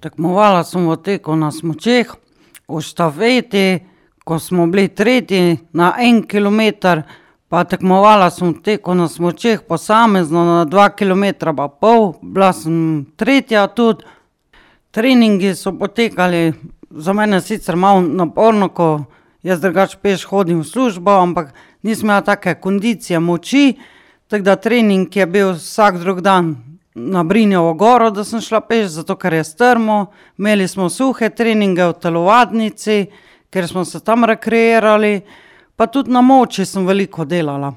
Tekmovala sem v teku na smučeh, v štafeti, ko smo bili tretji na 1 kilometer, pa tekmovala sem v teku na smučeh posamezno na 2,5 kilometra, bila sem tretja tudi. Treningi so potekali za mene sicer malo naporno, ko jaz drugače peš hodim v službo, ampak nisem imela take kondicije, moči, tako da trening je bil vsak drug dan na Brinjovo goro, da sem šla peš, zato ker je strmo. Imeli smo suhe treninge v telovadnici, ker smo se tam rekreirali, pa tudi na Moči sem veliko delala.